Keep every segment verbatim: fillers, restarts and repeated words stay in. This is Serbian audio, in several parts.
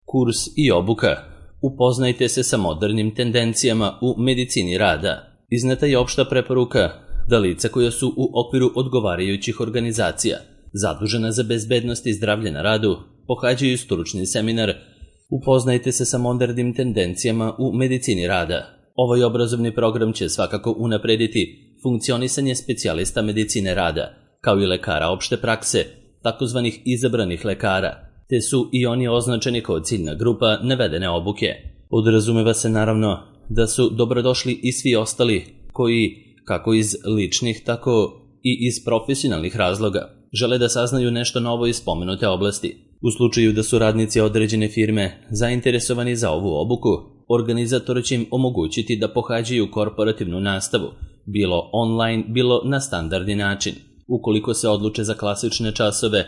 Kurs i obuka. Upoznajte se sa modernim tendencijama u medicini rada. Izneta je opšta preporuka da lica koja su u okviru odgovarajućih organizacija zadužena za bezbednost i zdravlje na radu pohađaju stručni seminar Upoznajte se sa modernim tendencijama u medicini rada. Ovaj obrazovni program će svakako unaprediti funkcionisanje specijalista medicine rada, kao i lekara opšte prakse, takozvanih izabranih lekara, te su i oni označeni kao ciljna grupa navedene obuke. Podrazumeva se naravno da su dobrodošli i svi ostali koji, kako iz ličnih, tako i iz profesionalnih razloga, žele da saznaju nešto novo iz spomenute oblasti. U slučaju da su radnici određene firme zainteresovani za ovu obuku, organizator će im omogućiti da pohađaju korporativnu nastavu, bilo online, bilo na standardni način. Ukoliko se odluče za klasične časove,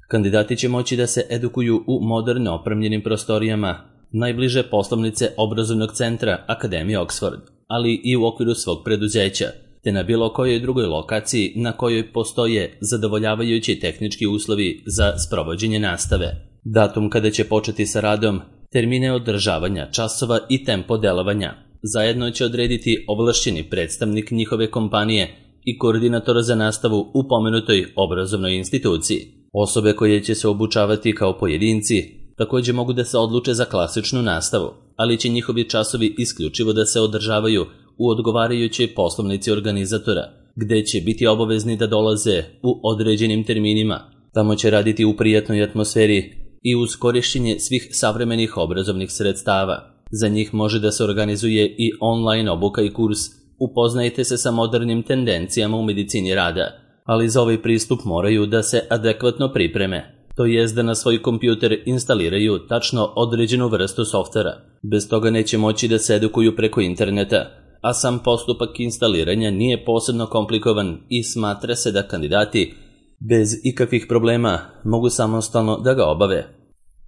kandidati će moći da se edukuju u moderno opremljenim prostorijama najbliže poslovnice obrazovnog centra Akademije Oxford, ali i u okviru svog preduzeća, te na bilo kojoj drugoj lokaciji na kojoj postoje zadovoljavajući tehnički uslovi za sprovođenje nastave. Datum kada će početi sa radom, termine održavanja časova i tempo delovanja zajedno će odrediti ovlašćeni predstavnik njihove kompanije i koordinator za nastavu u pomenutoj obrazovnoj instituciji. Osobe koje će se obučavati kao pojedinci također mogu da se odluče za klasičnu nastavu, ali će njihovi časovi isključivo da se održavaju u odgovarajućoj poslovnici organizatora, gde će biti obavezni da dolaze u određenim terminima. Tamo će raditi u prijatnoj atmosferi i uz korišćenje svih savremenih obrazovnih sredstava. Za njih može da se organizuje i online obuka i kurs Upoznajte se sa modernim tendencijama u medicini rada, ali za ovaj pristup moraju da se adekvatno pripreme, to jest da na svoj kompjuter instaliraju tačno određenu vrstu softvera. Bez toga neće moći da se edukuju preko interneta, a sam postupak instaliranja nije posebno komplikovan i smatra se da kandidati bez ikakvih problema mogu samostalno da ga obave.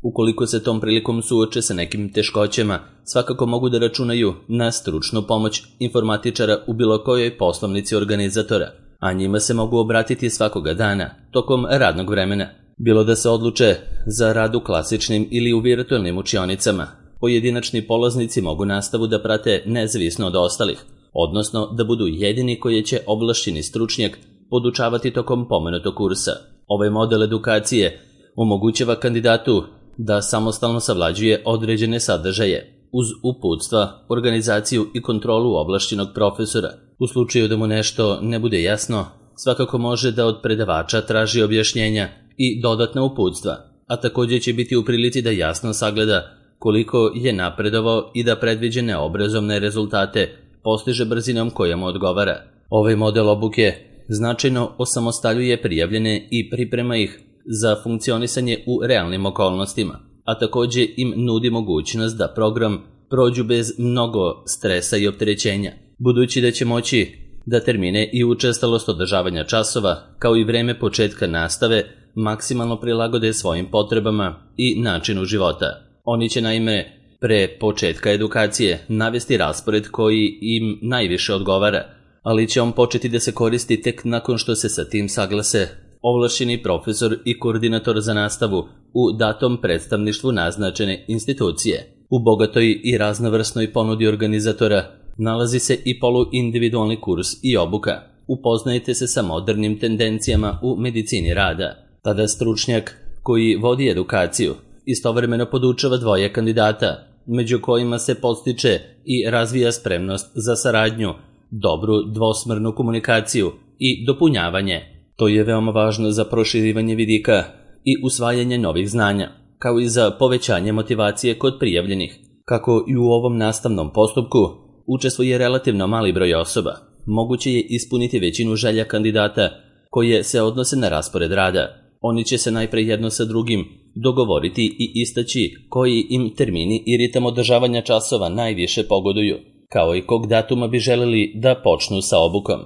Ukoliko se tom prilikom suoče sa nekim teškoćama, svakako mogu da računaju na stručnu pomoć informatičara u bilo kojoj poslovnici organizatora, a njima se mogu obratiti svakoga dana, tokom radnog vremena. Bilo da se odluče za rad u klasičnim ili u virtualnim učionicama, pojedinačni polaznici mogu nastavu da prate nezavisno od ostalih, odnosno da budu jedini koji će ovlašćeni stručnjak podučavati tokom pomenutog kursa. Ovaj model edukacije omogućava kandidatu da samostalno savlađuje određene sadržaje, uz uputstva, organizaciju i kontrolu ovlašćenog profesora. U slučaju da mu nešto ne bude jasno, svakako može da od predavača traži objašnjenja i dodatna uputstva, a također će biti u prilici da jasno sagleda koliko je napredovao i da predviđene obrazovne rezultate postiže brzinom koja mu odgovara. Ovaj model obuke značajno osamostaljuje prijavljene i priprema ih za funkcionisanje u realnim okolnostima, a također im nudi mogućnost da program prođu bez mnogo stresa i opterećenja, budući da će moći da termine i učestalost održavanja časova, kao i vreme početka nastave, maksimalno prilagode svojim potrebama i načinu života. Oni će naime pre početka edukacije navesti raspored koji im najviše odgovara, ali će on početi da se koristi tek nakon što se sa tim saglase ovlašćeni profesor i koordinator za nastavu u datom predstavništvu naznačene institucije. U bogatoj i raznovrsnoj ponudi organizatora nalazi se i poluindividualni kurs i obuka. Upoznajte se sa modernim tendencijama u medicini rada. Tada stručnjak koji vodi edukaciju istovremeno podučava dvoje kandidata, među kojima se podstiče i razvija spremnost za saradnju, dobru dvosmernu komunikaciju i dopunjavanje. To je veoma važno za proširivanje vidika i usvajanje novih znanja, kao i za povećanje motivacije kod prijavljenih. Kako i u ovom nastavnom postupku učestvuje relativno mali broj osoba, moguće je ispuniti većinu želja kandidata koje se odnose na raspored rada. Oni će se najpre jedno sa drugim dogovoriti i istaći koji im termini i ritam održavanja časova najviše pogoduju, kao i kog datuma bi želeli da počnu sa obukom.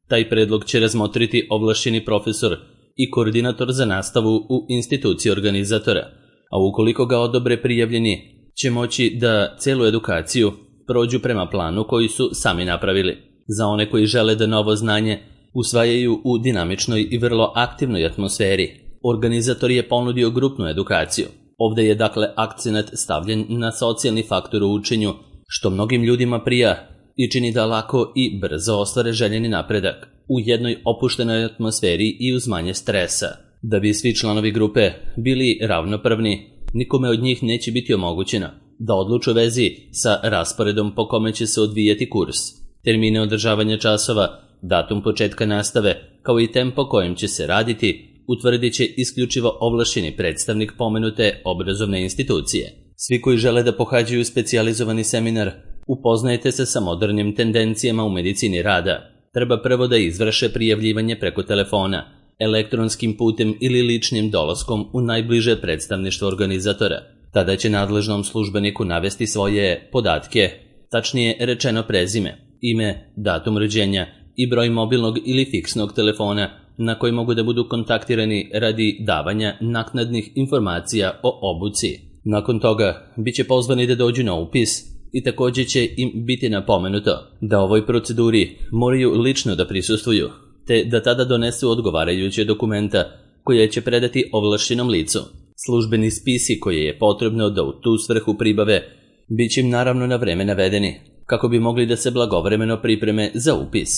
Taj predlog će razmotriti ovlašćeni profesor i koordinator za nastavu u instituciji organizatora, a ukoliko ga odobre prijavljeni, će moći da celu edukaciju prođu prema planu koji su sami napravili. Za one koji žele da novo znanje usvajaju u dinamičnoj i vrlo aktivnoj atmosferi, organizator je ponudio grupnu edukaciju. Ovde je dakle akcenat stavljen na socijalni faktor u učenju, što mnogim ljudima prija i čini da lako i brzo ostvare željeni napredak u jednoj opuštenoj atmosferi i uz manje stresa. Da bi svi članovi grupe bili ravnopravni, nikome od njih neće biti omogućeno da odluči u vezi sa rasporedom po kome će se odvijati kurs, termine održavanja časova, datum početka nastave, kao i tempo kojim će se raditi, utvrdit će isključivo ovlašćeni predstavnik pomenute obrazovne institucije. Svi koji žele da pohađaju specijalizovani seminar, upoznajte se sa modernim tendencijama u medicini rada. Treba prvo da izvrše prijavljivanje preko telefona, elektronskim putem ili ličnim dolaskom u najbliže predstavništvo organizatora. Tada će nadležnom službeniku navesti svoje podatke, tačnije rečeno prezime, ime, datum rođenja i broj mobilnog ili fiksnog telefona na koji mogu da budu kontaktirani radi davanja naknadnih informacija o obuci. Nakon toga bit će pozvani da dođu na upis i također će im biti napomenuto da ovoj proceduri moraju lično da prisustvuju, te da tada donesu odgovarajuće dokumenta koje će predati ovlašćenom licu. Službeni spisi koje je potrebno da u tu svrhu pribave bit će im naravno na vreme navedeni, kako bi mogli da se blagovremeno pripreme za upis.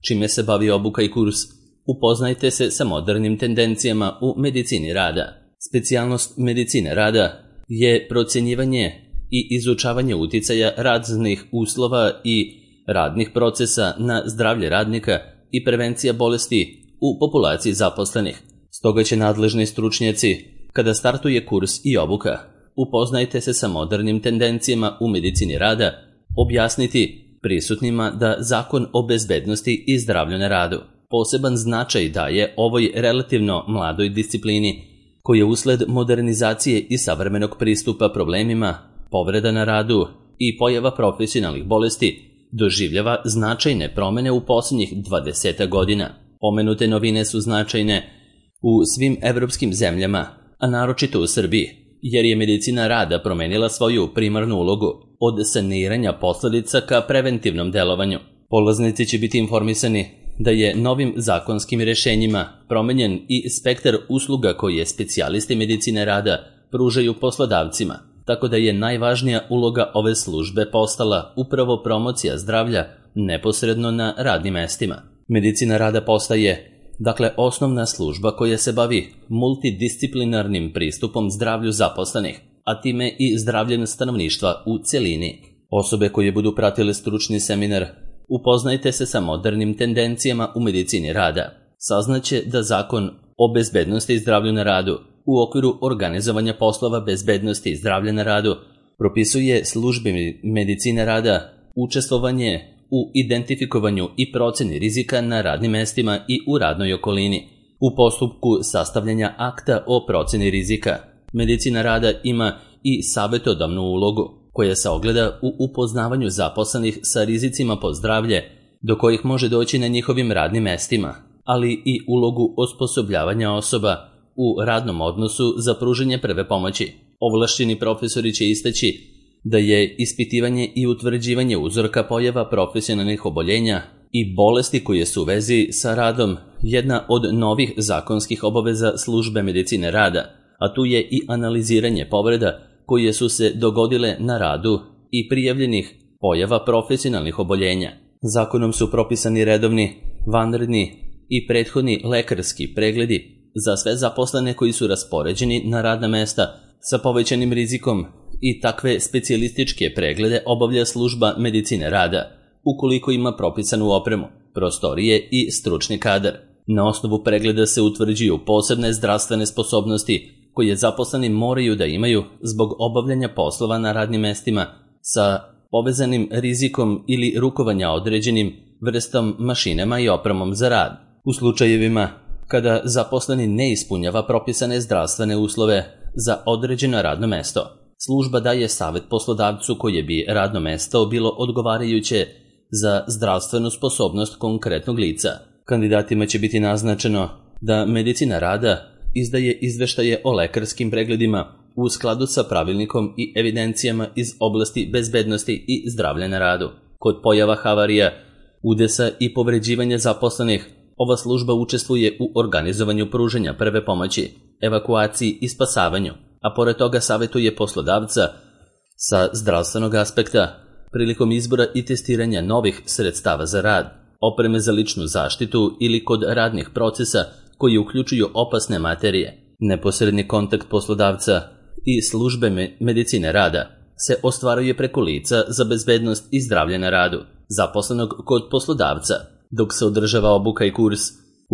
Čime se bavi obuka i kurs? Upoznajte se sa modernim tendencijama u medicini rada. Specijalnost medicine rada je procjenjivanje i izučavanje uticaja raznih uslova i radnih procesa na zdravlje radnika i prevencija bolesti u populaciji zaposlenih. Stoga će nadležni stručnjaci, kada startuje kurs i obuka, upoznajte se sa modernim tendencijama u medicini rada, objasniti prisutnima da Zakon o bezbednosti i zdravlju na radu poseban značaj daje ovoj relativno mladoj disciplini, koja usled modernizacije i savremenog pristupa problemima, povreda na radu i pojava profesionalnih bolesti doživljava značajne promene u posljednjih dvadeset godina. Pomenute novine su značajne u svim evropskim zemljama, a naročito u Srbiji, jer je medicina rada promenila svoju primarnu ulogu od saniranja posledica ka preventivnom delovanju. Polaznici će biti informisani da je novim zakonskim rješenjima promenjen i spektar usluga koje specijalisti medicine rada pružaju poslodavcima, tako da je najvažnija uloga ove službe postala upravo promocija zdravlja neposredno na radnim mestima. Medicina rada postaje, dakle, osnovna služba koja se bavi multidisciplinarnim pristupom zdravlju zaposlenih, a time i zdravljem stanovništva u celini. Osobe koje budu pratile stručni seminar, upoznajte se sa modernim tendencijama u medicini rada. Saznaće da Zakon o bezbednosti i zdravlju na radu u okviru organizovanja poslova bezbednosti i zdravlja na radu propisuje službi medicine rada učestvovanje u identifikovanju i proceni rizika na radnim mestima i u radnoj okolini. U postupku sastavljanja akta o proceni rizika, medicina rada ima i savjetodavnu ulogu, koja se ogleda u upoznavanju zaposlenih sa rizicima po zdravlje, do kojih može doći na njihovim radnim mestima, ali i ulogu osposobljavanja osoba u radnom odnosu za pružanje prve pomoći. Ovlašćeni profesori će istaći da je ispitivanje i utvrđivanje uzorka pojava profesionalnih oboljenja i bolesti koje su u vezi sa radom jedna od novih zakonskih obaveza službe medicine rada, a tu je i analiziranje povreda koje su se dogodile na radu i prijavljenih pojava profesionalnih oboljenja. Zakonom su propisani redovni, vanredni i prethodni lekarski pregledi za sve zaposlene koji su raspoređeni na radna mesta sa povećanim rizikom i takve specijalističke preglede obavlja služba medicine rada, ukoliko ima propisanu opremu, prostorije i stručni kadar. Na osnovu pregleda se utvrđuju posebne zdravstvene sposobnosti koje zaposleni moraju da imaju zbog obavljanja poslova na radnim mestima sa povezanim rizikom ili rukovanja određenim vrstom mašinama i opremom za rad. U slučajevima kada zaposleni ne ispunjava propisane zdravstvene uslove za određeno radno mesto, služba daje savjet poslodavcu koje bi radno mesto bilo odgovarajuće za zdravstvenu sposobnost konkretnog lica. Kandidatima će biti naznačeno da medicina rada izdaje izveštaje o lekarskim pregledima u skladu sa pravilnikom i evidencijama iz oblasti bezbednosti i zdravlja na radu. Kod pojava havarija, udesa i povređivanja zaposlenih, ova služba učestvuje u organizovanju pružanja prve pomoći, evakuaciji i spasavanju, a pored toga savjetuje poslodavca sa zdravstvenog aspekta prilikom izbora i testiranja novih sredstava za rad, opreme za ličnu zaštitu ili kod radnih procesa koji uključuju opasne materije. Neposredni kontakt poslodavca i službe medicine rada se ostvaruje preko lica za bezbednost i zdravlje na radu, zaposlenog kod poslodavca. Dok se održava obuka i kurs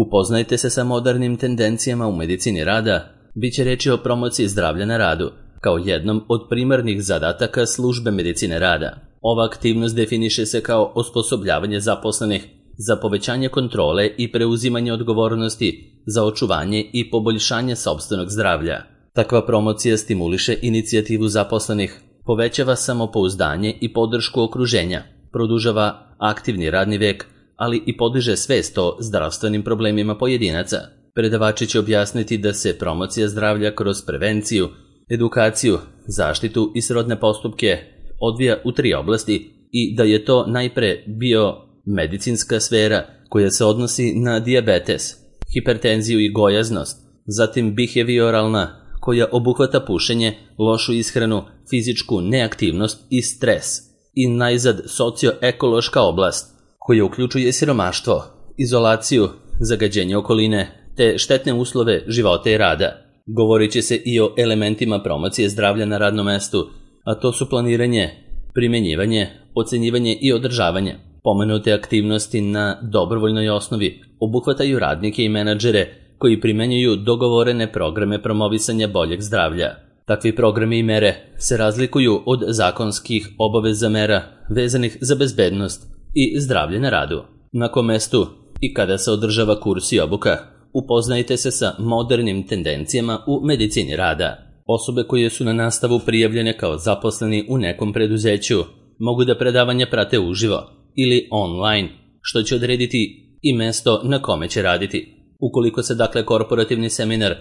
Upoznajte se sa modernim tendencijama u medicini rada, bit će reči o promociji zdravlja na radu, kao jednom od primarnih zadataka službe medicine rada. Ova aktivnost definiše se kao osposobljavanje zaposlenih za povećanje kontrole i preuzimanje odgovornosti za očuvanje i poboljšanje sopstvenog zdravlja. Takva promocija stimuliše inicijativu zaposlenih, povećava samopouzdanje i podršku okruženja, produžava aktivni radni vek, ali i podiže svest o zdravstvenim problemima pojedinaca. Predavači će objasniti da se promocija zdravlja kroz prevenciju, edukaciju, zaštitu i srodne postupke odvija u tri oblasti i da je to najpre biomedicinska sfera koja se odnosi na dijabetes, hipertenziju i gojaznost, zatim behavioralna koja obuhvata pušenje, lošu ishranu, fizičku neaktivnost i stres, i najzad socioekološka oblast koja uključuje siromaštvo, izolaciju, zagađenje okoline te štetne uslove života i rada. Govorit će se i o elementima promocije zdravlja na radnom mestu, a to su planiranje, primenjivanje, ocenjivanje i održavanje. Pomenute aktivnosti na dobrovoljnoj osnovi obuhvataju radnike i menadžere koji primenjuju dogovorene programe promovisanja boljeg zdravlja. Takvi programi i mere se razlikuju od zakonskih obaveza mera vezanih za bezbednost i zdravlje na radu. Na kom mestu i kada se održava kurs i obuka, upoznajte se sa modernim tendencijama u medicini rada. Osobe koje su na nastavu prijavljene kao zaposleni u nekom preduzeću mogu da predavanja prate uživo ili online, što će odrediti i mesto na kome će raditi. Ukoliko se dakle korporativni seminar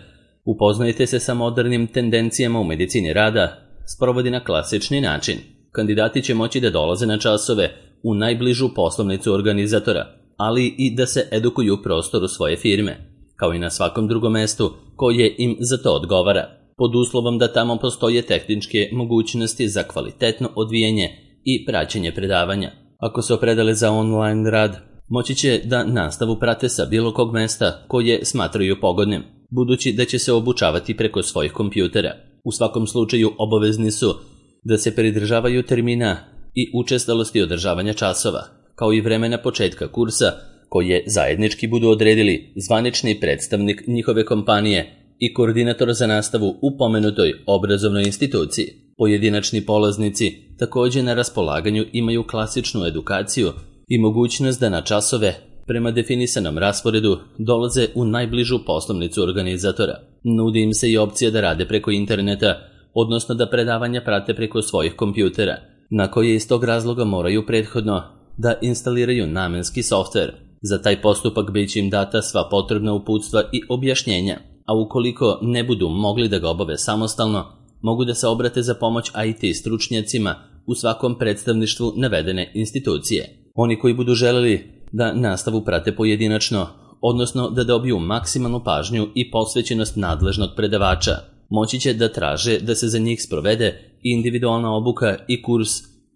Upoznajte se sa modernim tendencijama u medicini rada sprovodi na klasični način, kandidati će moći da dolaze na časove u najbližu poslovnicu organizatora, ali i da se edukuju u prostoru svoje firme, kao i na svakom drugom mestu koje im za to odgovara, pod uslovom da tamo postoje tehničke mogućnosti za kvalitetno odvijanje i praćenje predavanja. Ako se opredele za online rad, moći će da nastavu prate sa bilo kog mesta koje smatraju pogodnim, budući da će se obučavati preko svojih kompjutera. U svakom slučaju obavezni su da se pridržavaju termina i učestalosti održavanja časova, kao i vremena početka kursa koje zajednički budu odredili zvanični predstavnik njihove kompanije i koordinator za nastavu u pomenutoj obrazovnoj instituciji. Pojedinačni polaznici također na raspolaganju imaju klasičnu edukaciju i mogućnost da na časove prema definisanom rasporedu dolaze u najbližu poslovnicu organizatora. Nudi im se i opcija da rade preko interneta, odnosno da predavanja prate preko svojih kompjutera, na koje iz tog razloga moraju prethodno da instaliraju namenski softver. Za taj postupak bit će im data sva potrebna uputstva i objašnjenja, a ukoliko ne budu mogli da ga obave samostalno, mogu da se obrate za pomoć I T stručnjacima u svakom predstavništvu navedene institucije. Oni koji budu želeli da nastavu prate pojedinačno, odnosno da dobiju maksimalnu pažnju i posvećenost nadležnog predavača, moći će da traže da se za njih sprovede individualna obuka i kurs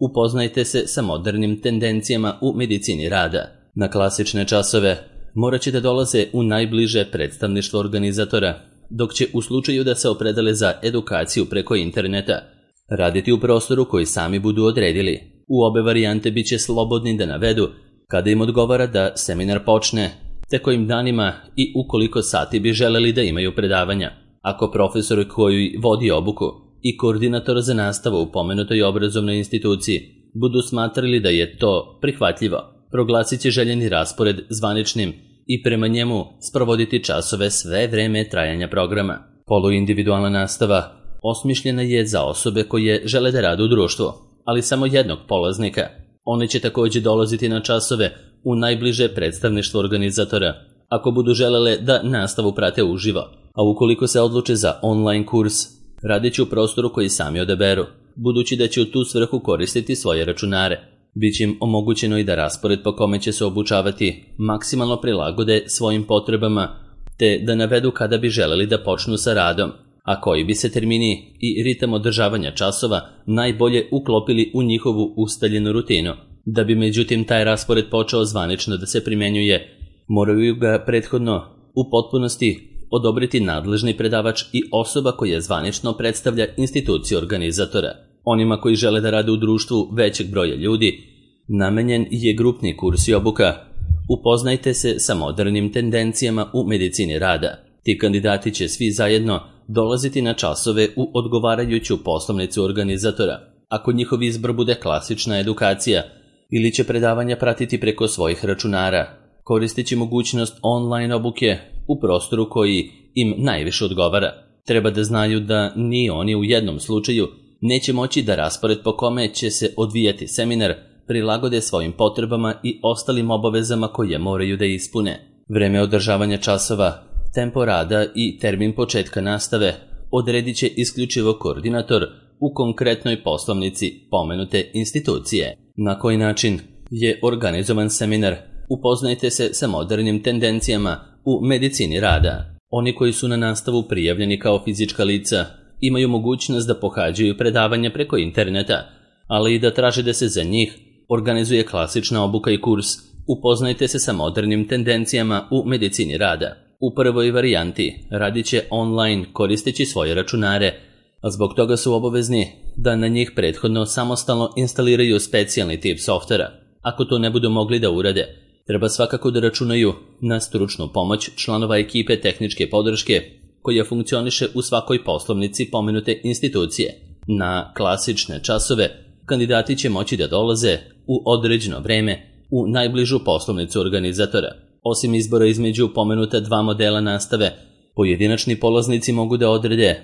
Upoznajte se sa modernim tendencijama u medicini rada. Na klasične časove morat će da dolaze u najbliže predstavništvo organizatora, dok će u slučaju da se opredele za edukaciju preko interneta raditi u prostoru koji sami budu odredili. U obe varijante bit će slobodni da navedu kada im odgovara da seminar počne, te kojim danima i ukoliko sati bi želeli da imaju predavanja. Ako profesor koji vodi obuku i koordinator za nastavu u pomenutoj obrazovnoj instituciji budu smatrali da je to prihvatljivo, proglasit će željeni raspored zvaničnim i prema njemu sprovoditi časove sve vreme trajanja programa. Poluindividualna nastava osmišljena je za osobe koje žele da rade u društvu, ali samo jednog polaznika. One će također dolaziti na časove u najbliže predstavništvo organizatora, ako budu želele da nastavu prate uživo, a ukoliko se odluče za online kurs, radit će u prostoru koji sami odaberu, budući da će u tu svrhu koristiti svoje računare. Biće im omogućeno i da raspored po kome će se obučavati maksimalno prilagode svojim potrebama, te da navedu kada bi želeli da počnu sa radom, a koji bi se termini i ritam održavanja časova najbolje uklopili u njihovu ustaljenu rutinu. Da bi međutim taj raspored počeo zvanično da se primjenjuje, moraju ga prethodno u potpunosti odobriti nadležni predavač i osoba koja zvanično predstavlja instituciju organizatora. Onima koji žele da rade u društvu većeg broja ljudi, namenjen je grupni kurs i obuka. Upoznajte se sa modernim tendencijama u medicini rada. Ti kandidati će svi zajedno dolaziti na časove u odgovarajuću poslovnicu organizatora. Ako njihov izbor bude klasična edukacija ili će predavanja pratiti preko svojih računara, koristeći mogućnost online obuke u prostoru koji im najviše odgovara. Treba da znaju da ni oni u jednom slučaju neće moći da raspored po kome će se odvijati seminar prilagode svojim potrebama i ostalim obavezama koje moraju da ispune. Vreme održavanja časova, tempo rada i termin početka nastave odredit će isključivo koordinator u konkretnoj poslovnici pomenute institucije. Na koji način je organizovan seminar? Upoznajte se sa modernim tendencijama u medicini rada. Oni koji su na nastavu prijavljeni kao fizička lica imaju mogućnost da pohađaju predavanja preko interneta, ali i da traže da se za njih organizuje klasična obuka i kurs. Upoznajte se sa modernim tendencijama u medicini rada. U prvoj varijanti radit će online koristeći svoje računare, a zbog toga su obavezni da na njih prethodno samostalno instaliraju specijalni tip softvera. Ako to ne budu mogli da urade, treba svakako da računaju na stručnu pomoć članova ekipe tehničke podrške koja funkcioniše u svakoj poslovnici pomenute institucije. Na klasične časove kandidati će moći da dolaze u određeno vreme u najbližu poslovnicu organizatora. Osim izbora između pomenuta dva modela nastave, pojedinačni polaznici mogu da odrede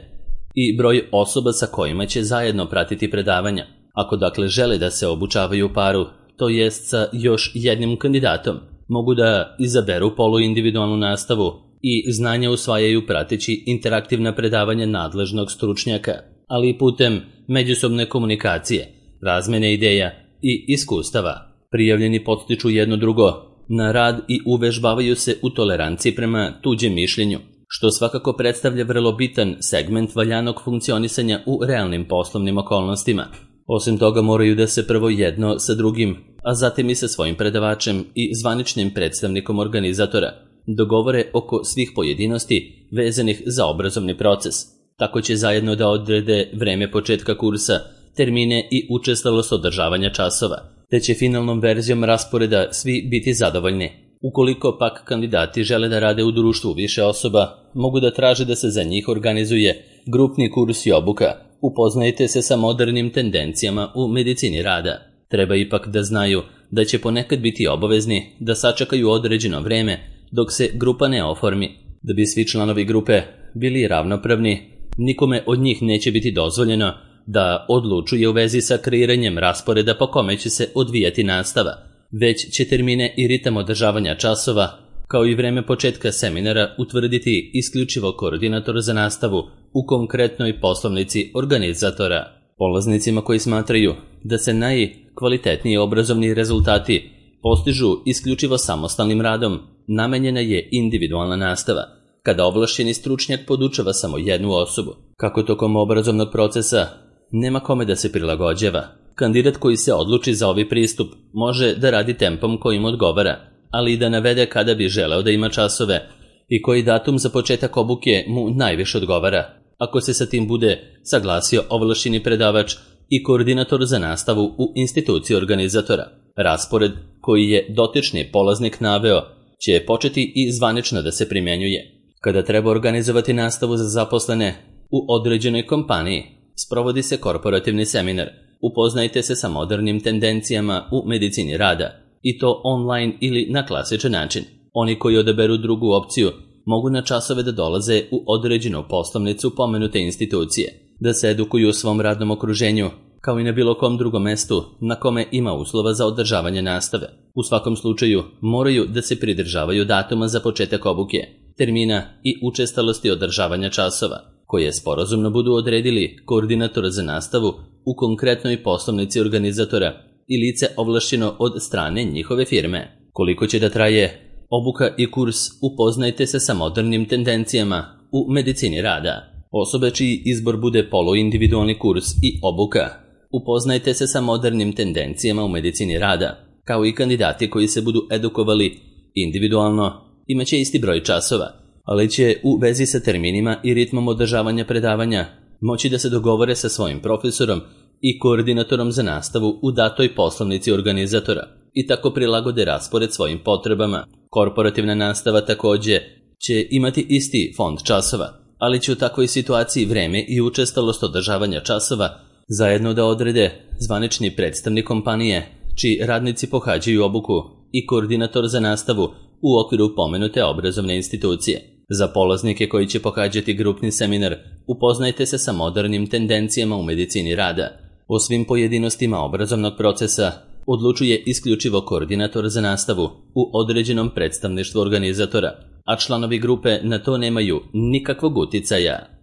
i broj osoba sa kojima će zajedno pratiti predavanja. Ako dakle žele da se obučavaju u paru, to jest sa još jednim kandidatom, mogu da izaberu poluindividualnu nastavu i znanja usvajaju prateći interaktivna predavanja nadležnog stručnjaka, ali i putem međusobne komunikacije, razmene ideja i iskustava. Prijavljeni podstiču jedno drugo na rad i uvežbavaju se u toleranciji prema tuđem mišljenju, što svakako predstavlja vrlo bitan segment valjanog funkcionisanja u realnim poslovnim okolnostima. Osim toga moraju da se prvo jedno sa drugim, a zatim i sa svojim predavačem i zvaničnim predstavnikom organizatora dogovore oko svih pojedinosti vezanih za obrazovni proces. Tako će zajedno da odrede vreme početka kursa, termine i učestalost održavanja časova, te će finalnom verzijom rasporeda svi biti zadovoljni. Ukoliko pak kandidati žele da rade u društvu više osoba, mogu da traže da se za njih organizuje grupni kurs i obuka. Upoznajte se sa modernim tendencijama u medicini rada. Treba ipak da znaju da će ponekad biti obavezni da sačekaju određeno vreme dok se grupa ne oformi. Da bi svi članovi grupe bili ravnopravni, nikome od njih neće biti dozvoljeno da odlučuje u vezi sa kreiranjem rasporeda po kome će se odvijati nastava, već će termine i ritam održavanja časova, kao i vreme početka seminara utvrditi isključivo koordinator za nastavu u konkretnoj poslovnici organizatora. Polaznicima koji smatraju da se najkvalitetniji obrazovni rezultati postižu isključivo samostalnim radom, namenjena je individualna nastava, kada ovlašćeni stručnjak podučava samo jednu osobu. Kako tokom obrazovnog procesa nema kome da se prilagođava, kandidat koji se odluči za ovaj pristup može da radi tempom kojim odgovara, ali i da navede kada bi želeo da ima časove i koji datum za početak obuke mu najviše odgovara. Ako se sa tim bude saglasio ovlašćeni predavač i koordinator za nastavu u instituciji organizatora, raspored koji je dotični polaznik naveo će početi i zvanično da se primjenjuje. Kada treba organizovati nastavu za zaposlene u određenoj kompaniji, sprovodi se korporativni seminar. Upoznajte se sa modernim tendencijama u medicini rada, i to online ili na klasičan način. Oni koji odaberu drugu opciju mogu na časove da dolaze u određenu poslovnicu pomenute institucije, da se edukuju u svom radnom okruženju, kao i na bilo kom drugom mestu na kome ima uslova za održavanje nastave. U svakom slučaju moraju da se pridržavaju datuma za početak obuke, termina i učestalosti održavanja časova, koje sporazumno budu odredili koordinator za nastavu u konkretnoj poslovnici organizatora i lice ovlašćeno od strane njihove firme. Koliko će da traje obuka i kurs? Upoznajte se sa modernim tendencijama u medicini rada. Osobe čiji izbor bude poluindividualni kurs i obuka. Upoznajte se sa modernim tendencijama u medicini rada, kao i kandidati koji se budu edukovali individualno, imaće isti broj časova, ali će u vezi sa terminima i ritmom održavanja predavanja moći da se dogovore sa svojim profesorom i koordinatorom za nastavu u datoj poslovnici organizatora i tako prilagode raspored svojim potrebama. Korporativna nastava takođe će imati isti fond časova, ali će u takvoj situaciji vreme i učestalost održavanja časova zajedno da odrede zvanični predstavnik kompanije, čiji radnici pohađaju obuku i koordinator za nastavu u okviru pomenute obrazovne institucije. Za polaznike koji će pohađati grupni seminar, upoznajte se sa modernim tendencijama u medicini rada. O svim pojedinostima obrazovnog procesa odlučuje isključivo koordinator za nastavu u određenom predstavništvu organizatora, a članovi grupe na to nemaju nikakvog uticaja.